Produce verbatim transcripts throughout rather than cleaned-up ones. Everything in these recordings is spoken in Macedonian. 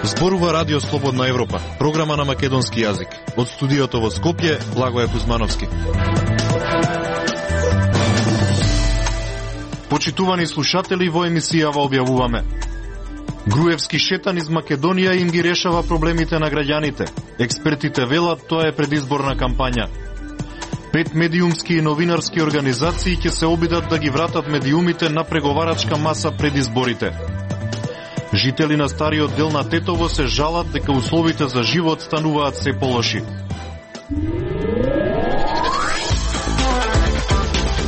Зборува Радио Слободна Европа, програма на македонски јазик. Од студиото во Скопје, Благоје Кузмановски. Почитувани слушатели, во емисијава објавуваме: Груевски шетан из Македонија им ги решава проблемите на граѓаните. Експертите велат тоа е предизборна кампања. Пет медиумски и новинарски организации ќе се обидат да ги вратат медиумите на преговарачка маса пред изборите. Жители на стариот дел на Тетово се жалат дека условите за живот стануваат се полоши.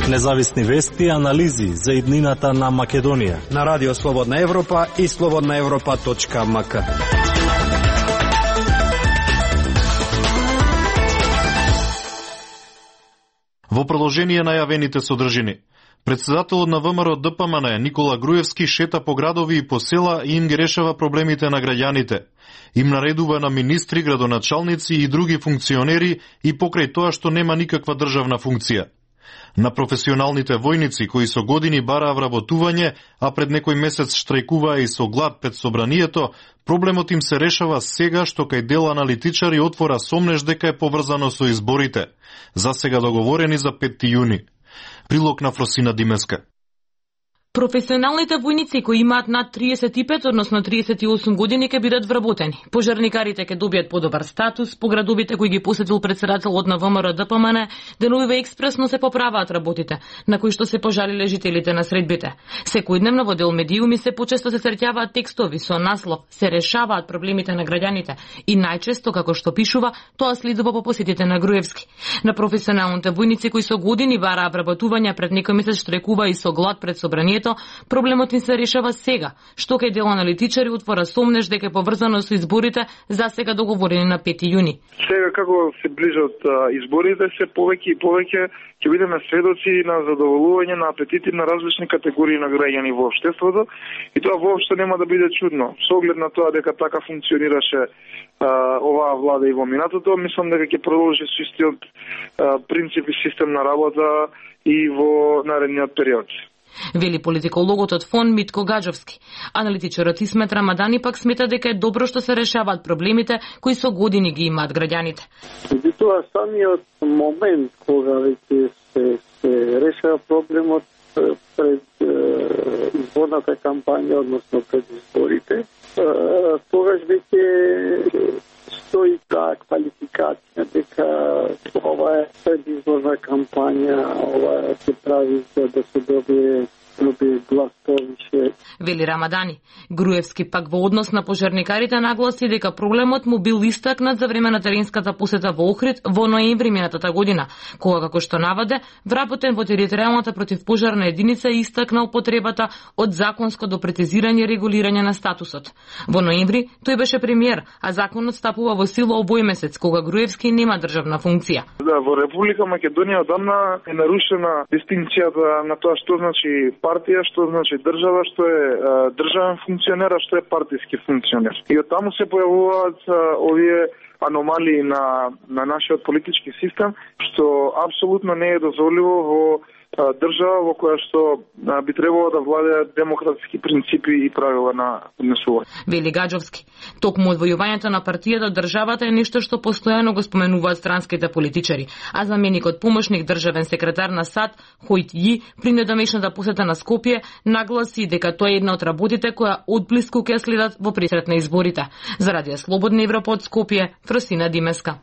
Независни вести и анализи за иднината на Македонија на Радио Слободна Европа и слободна европа точка ем ка. Во продолжение најавените содржини. Председателот на ВМРО Д П М Н Никола Груевски шета по градови и по села и им ги решава проблемите на граѓаните. Им наредува на министри, градоначалници и други функционери и покрај тоа што нема никаква државна функција. На професионалните војници кои со години бараа вработување, а пред некој месец штрајкуваа и со глад пред собранието, проблемот им се решава сега што кај дел аналитичари отвора сомнеш дека е поврзано со изборите, засега договорени за петти јуни. Прилог на Фросина Димеска. Професионалните војници кои имаат над триесет и пет, односно триесет и осум години ќе бидат вработени. Пожарникарите ќе добијат подобар статус, по градовите кои ги посетил председателот на ВМРО Д П М Н, деновиве експресно се поправаат работите, на кои што се пожалиле жителите на средбите. Секојдневно во дел медиуми се почесто се среќаваат текстови со наслов "Се решаваат проблемите на граѓаните" и најчесто, како што пишува, тоа следува по посетите на Груевски. На професионалните војници кои со години бараа вработување, пред некој месец штрајкува и со глад пред собранието, проблемот им се решава сега, што кај дел аналитичари отвора сомнеш дека е поврзано со изборите, засега договорени на пети јуни. Сега како се ближат изборите, се повеќе и повеќе ќе бидеме сведоци на задоволување на апетити на различни категории на граѓани во општеството и тоа воопшто нема да биде чудно. Со оглед на тоа дека така функционираше а, оваа влада и во минатото, мислам дека ќе продолжи со истиот принцип и систем на работа и во наредниот период. Вели политикологот од фонд Митко Гаджовски. Аналитичарот Исмет Рамадани пак смета дека е добро што се решаваат проблемите кои со години ги имаат граѓаните. Тоа самиот момент кога веќе се, се решава проблемот пред е, изборната кампања, односно пред изборите, тогаш веќе стои таа квалификација дека ова е предизборна кампања, ова се прави за да се добие добие глас повише. Вели Рамадани. Груевски пак во однос на пожарникарите нагласи дека проблемот му бил истакнат за време на теренската посета во Охрид во ноември минатата година, кога, како што наваде, вработен во територијалната противпожарна единица истакнал потребата од законско допрецизирање и регулирање на статусот. Во ноември тој беше премиер, а законот стапува во сила овој месец, кога Груевски нема државна функција. Да, во Република Македонија одамна е нарушена дистинкцијата на тоа што значи партија, што значи држава, што е а, државен функционер, а што е партиски функционер. И од таму се појавуваат а, овие аномалии на, на нашиот политички систем, што апсолутно не е дозволиво во а, држава во која што а, би требало да владеат демократски принципи и правила на однесување. Вели Гаджовски. Токму одвојувањето на партијата од државата е нешто што постојано го споменуваат странските политичари, а заменикот помошник државен секретар на САД Хојт Ји при недомешната посета на Скопје нагласи дека тоа е една од работите која одблиску ќе следат во пресрет на изборите. За Радио Слободна Европа од Скопје, Фросина Димеска.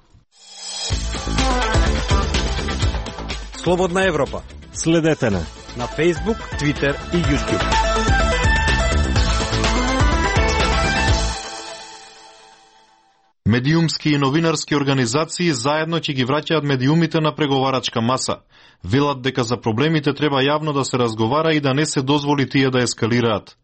Слободна Европа. Следете на на Facebook, Twitter и YouTube. Медиумски и новинарски организации заедно ќе ги враќаат медиумите на преговарачка маса. Велат дека за проблемите треба јавно да се разговара и да не се дозволи тие да ескалираат.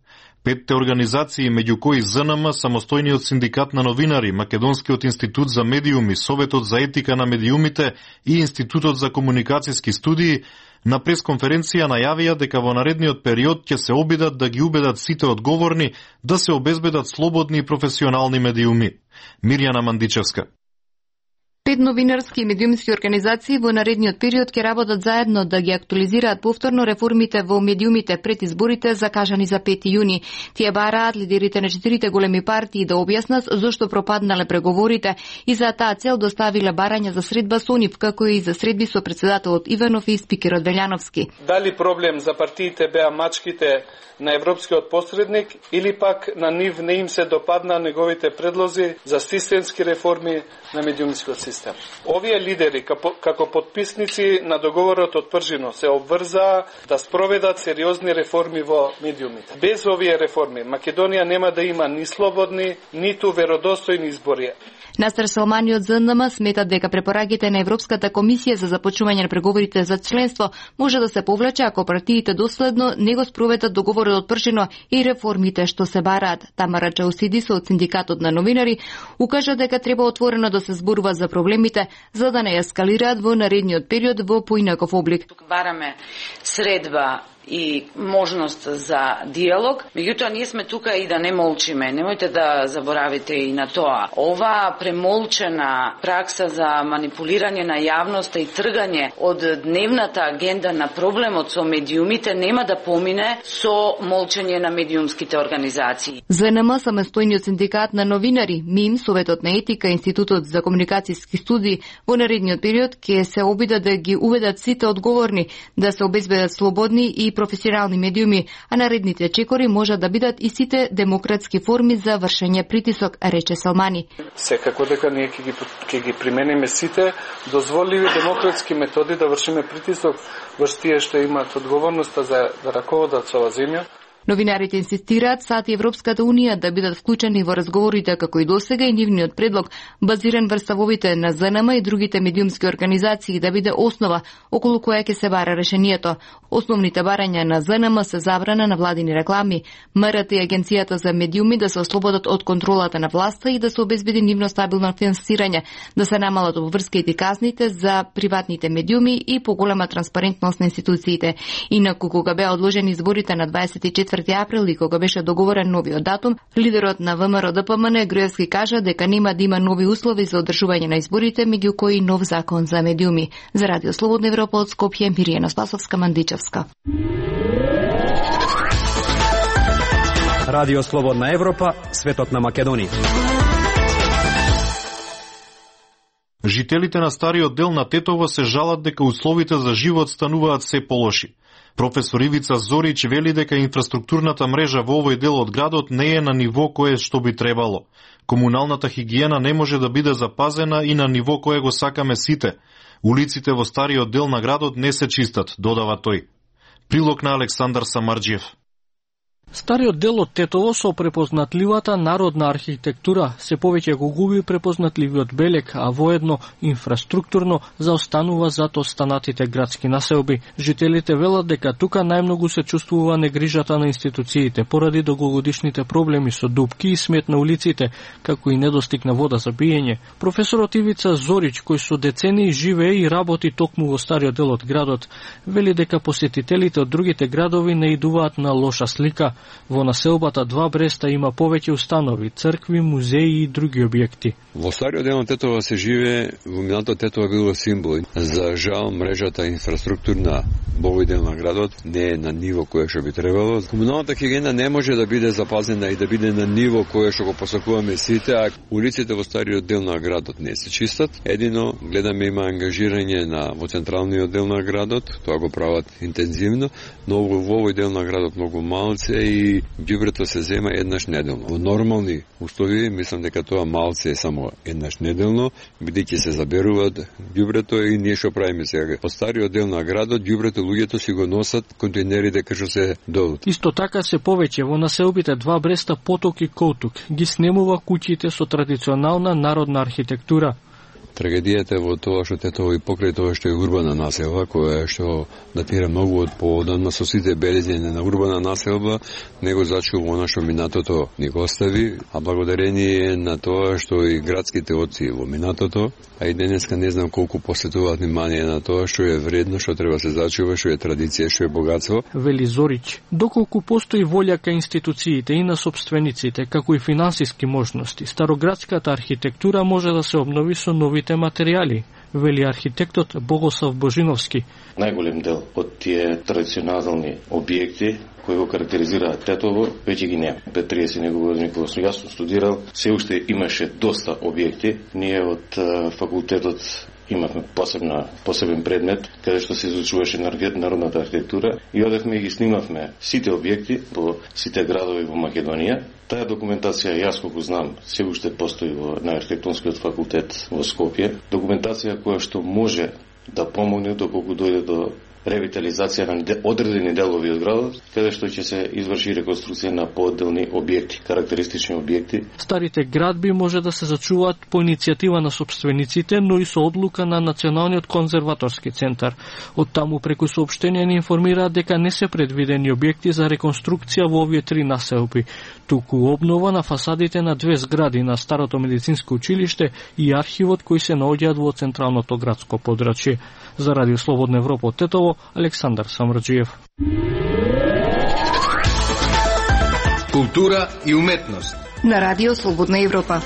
Петте организации, меѓу кои З Н М, Самостојниот синдикат на новинари, Македонскиот институт за медиуми, Советот за етика на медиумите и Институтот за комуникацијски студии, на пресконференција најавија дека во наредниот период ќе се обидат да ги убедат сите одговорни да се обезбедат слободни и професионални медиуми. Мирјана Мандичевска. Пет новинарски и медиумски организации во наредниот период ќе работат заедно да ги актуализираат повторно реформите во медиумите пред изборите закажани за пети јуни. Тие бараат лидерите на четирите големи партии да објаснат зошто пропаднале преговорите и за таа цел доставиле барања за средба со нив, како и за средби со претседателот Иванов и спикерот Велјановски. Дали проблем за партиите беа мачките на европскиот посредник или пак на нив не им се допадна неговите предлози за системски реформи на медиумскиот систем. Овие лидери, како подписници на договорот од Пржино, се обврзаа да спроведат сериозни реформи во медиумите. Без овие реформи, Македонија нема да има ни слободни, ниту веродостојни избори. Настер Салмани од З Н М сметат дека препораките на Европската комисија за започнување на преговорите за членство може да се повлече ако партиите доследно не го спроведат договорот од Пржино и реформите што се бараат. Тамара Чаусидисо од Синдикатот на новинари укажа дека треба отворено да се зборува за проблемите за да не ескалираат во наредниот период во поинаков облик. Тук бараме средба и можност за диалог, меѓутоа ние сме тука и да не молчиме. Немојте да заборавите и на тоа. Ова премолчена пракса за манипулирање на јавноста и тргање од дневната агенда на проблемот со медиумите нема да помине со молчење на медиумските организации. З Н М самостојниот синдикат на новинари, МИМ, Советот на етика, Институтот за комуникацијски студии во наредниот период ќе се обидат да ги уведат сите одговорни да се обезбедат слободни и професионални медиуми, а наредните чекори можат да бидат и сите демократски форми за вршење притисок, рече Салмани. Секако дека ние ќе ги, ќе ги примениме сите дозволиви демократски методи да вршиме притисок врз тие што имаат одговорноста за да раководат со оваа земја. Новинарите инсистираат САД и Европската Унија да бидат вклучени во разговорите како и досега и нивниот предлог, базиран врз ставовите на З Н М и другите медиумски организации, да биде основа околу која ќе се бара решението. Основните барања на З Н М се забрана на владини реклами, МРТ и Агенцијата за медиуми да се ослободат од контролата на власта и да се обезбеди нивно стабилно финансирање, да се намалат обврските и казните за приватните медиуми и поголема транспарентност на институциите. Инаку кога беа одложени изборите на дваесет и четврти април и кога беше договорен новиот датум, лидерот на ВМРО Д П М Н Груевски кажа дека нема да има нови услови за одржување на изборите, меѓу кои нов закон за медиуми. За Радио Слободна Европа од Скопје, Миријана Спасовска, Мандичевска. Радио Слободна Европа, светот на Македонија. Жителите на стариот дел на Тетово се жалат дека условите за живот стануваат се полоши. Професор Ивица Зорич вели дека инфраструктурната мрежа во овој дел од градот не е на ниво кое што би требало. Комуналната хигиена не може да биде запазена и на ниво кое го сакаме сите. Улиците во стариот дел на градот не се чистат, додава тој. Прилог на Александар Самарџиев. Стариот дел од Тетово со препознатливата народна архитектура се повеќе го губи препознатливиот белег, а воедно инфраструктурно заостанува зад останатите градски населби. Жителите велат дека тука најмногу се чувствува негрижата на институциите поради долгогодишните проблеми со дупки и смет на улиците, како и недостиг на вода за пиење. Професорот Ивица Зорич, кој со децении живее и работи токму во стариот дел од градот, вели дека посетителите од другите градови не идуваат на лоша слика. Во населбата Два Бреста има повеќе установи, цркви, музеи и други објекти. Во стариот дел на Тетово се живее, во минатото Тетово било символ. За жал, мрежата инфраструктурна во овој дел на градот не е на ниво кое што би требало. Комуналната хигиена не може да биде запазена и да биде на ниво кое што го посакуваме сите, а улиците во стариот дел на градот не се чистат. Едино гледаме има ангажирање на во централниот дел на градот, тоа го прават интензивно, но во овој дел на градот многу малце и ѓубрето се зема еднаш неделно. Во нормални услови мислам дека тоа малце е само еднаш неделно, бидејќи се заберуваат ѓубрето и ние што правиме сега. Од стариот дел на градот ѓубрето луѓето си го носат контейнерите кај што се долут. Исто така се повеќе во населбите Два Бреста, Поток и Коутук ги снемува куќите со традиционална народна архитектура. Трагедијата во тоа што Тетово и покрај тоа што е урбана населба, која што датира многу од поодамна со сите белезнења на урбана населба, него зачува она што минатото ни го остави, а благодарение на тоа што и градските оци во минатото, а и денеска не знам колку посветуваат внимание на тоа што е вредно, што треба се зачува, што е традиција, што е богатство. Вели Зорич, доколку постои волја кај институциите и на собствениците, како и финансиски можности, староградската архитектура може да се обнови со нови новите материјали, вели архитектот Богослав Божиновски. Најголем дел од тие традиционални објекти кои го карактеризираат Тетово, веќе ги нема. Пред триесет години кога сум јас студирал, се уште имаше доста објекти. Ние од факултетот имавме посебна, посебен предмет, каде што се изучуваше народната архитектура и одевме и ги снимавме сите објекти по сите градови во Македонија. Таа документација, јас колку знам, се уште постои во на архитектонскиот факултет во Скопје. Документација која што може да помогне доколку дојде до ревитализација на одредени делови од градот, каде што ќе се изврши реконструкција на поодделни објекти, карактеристични објекти. Старите градби може да се зачуваат по иницијатива на собствениците, но и со одлука на Националниот конзерваторски центар. Од таму преку соопштение ни информираат дека не се предвидени објекти за реконструкција во овие три населби, туку обнова на фасадите на две згради на старото медицинско училиште и архивот кои се наоѓаат во централното градско подрачје. За Радио Слободна Европа од Тетово, Александар Самраджиев. Култура и уметност на Радио Слободна Европа.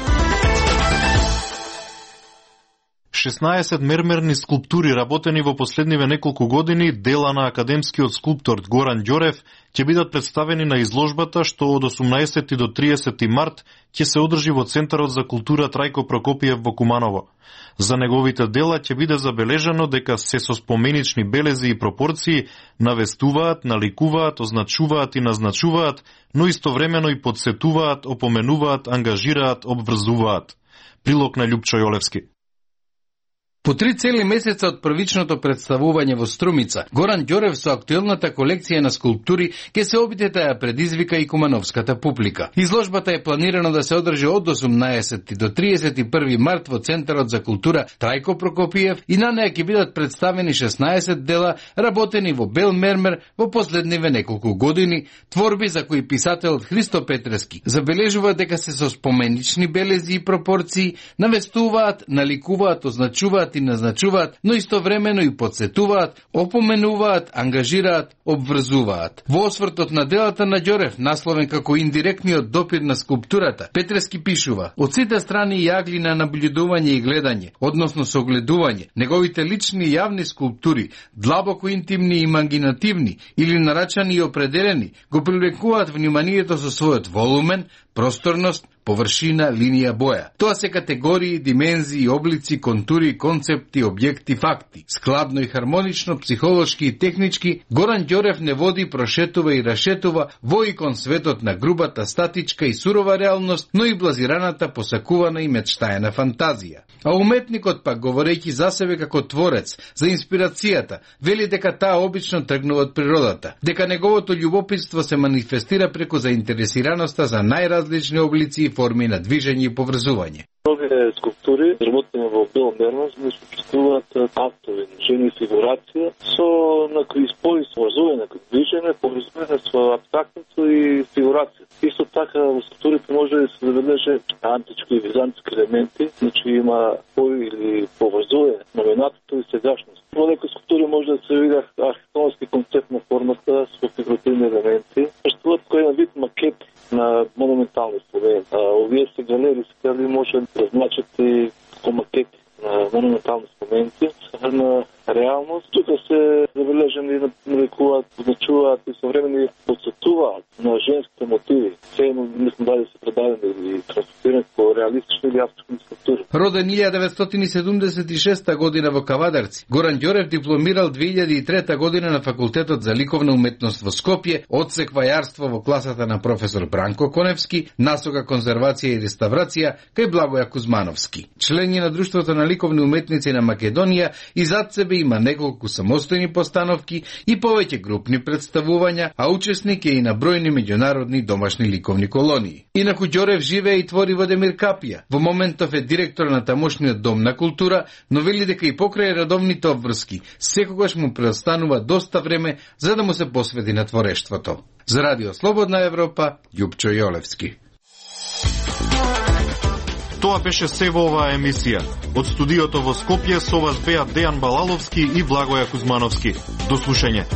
шеснаесет мермерни скулптури работени во последниве неколку години, дела на академскиот скулптор Горан Ѓорев, ќе бидат представени на изложбата што од осумнаесети до триесети март ќе се одржи во Центарот за култура Трајко Прокопиев во Куманово. За неговите дела ќе биде забележано дека се со споменични белези и пропорции навестуваат, наликуваат, означуваат и назначуваат, но истовремено и подсетуваат, опоменуваат, ангажираат, обврзуваат. Прилог на Љупчо Јолевски. По три цели месеца од првичното представување во Струмица, Горан Ѓорев со актуелната колекција на скулптури ќе се обиде да ја предизвика и кумановската публика. Изложбата е планирано да се одржи од осумнаесети до триесет и први март во Центарот за култура Трајко Прокопиев и на неја ќе бидат представени шеснаесет дела работени во бел мермер во последниве неколку години, творби за кои писателот Христо Петрески забележува дека се со споменични белези и пропорции, навестуваат, наликуваат, означуваат и назначуваат, но истовремено и подсетуваат, опоменуваат, ангажираат, обврзуваат. Во освртот на делата на Ѓорев, насловен како индиректниот допир на скулптурата, Петрески пишува: од сите страни и агли на наблюдување и гледање, односно согледување, неговите лични и јавни скулптури, длабоко интимни и имагинативни или нарачани и определени, го привлекуваат вниманието со својот волумен, просторност, површина, линија, боја. Тоа се категории, димензии, облици, контури, концепти, објекти, факти. Складно и хармонично, психолошки и технички, Горан Ѓорев не води, прошетува и рашетува во и кон светот на грубата, статичка и сурова реалност, но и блазираната, посакувана и мечтаена фантазија. А уметникот пак, говорејќи за себе како творец, за инспирацијата, вели дека таа обично тргнува од природата, дека неговото љубопитство се манифестира преку заинтересираноста за најразлични облици и форми на движење и поврзување. Овие скулптури, работени во бел мермер, не сопоставуваат актови, жени фигурација со некои спои со поврзување, некои движење, поврзување со абстрактното и фигурација. Исто така во скулптурите може да се забележи антички и византски елементи, значи има спои или поврзување на минатото и сегашност. Во некои скулптури може да се види архитектонски концепт на формата со фигуративни елементи. Представуваат кој е вид макет на монументални спомени. Овие се галери се дали може да значат и како макети на монументални спомени на реалност. Тука се забележени и нарекуваат, означуваат и современи подсетуваат на женските мотиви. Се мислам дали се предадени или транспортирани по реалистични или абстрактни скулптури. Роден илјада деветстотини седумдесет и шеста година во Кавадарци, Горан Ѓорев дипломирал две илјади и трета година на Факултетот за ликовна уметност во Скопје, одсек вајарство во класата на професор Бранко Коневски, насока конзервација и реставрација кај Благоја Кузмановски. Член е на Друштвото на ликовни уметници на Македонија и зад себе има неколку самостојни постановки и повеќе групни представувања, а учесник е и на бројни меѓународни домашни ликовни колонии. Инаку Ѓорев живее и твори во Демиркапија. Во моментов е директор на тамошниот дом на култура, но вели дека и покрај редовните обврски, секогаш му преостанува доста време за да му се посвети на творештвото. За Радио Слободна Европа, Љупчо Јолевски. Тоа беше се во оваа емисија. Од студиото во Скопје со вас беа Дејан Балаловски и Благоја Кузмановски. До слушање.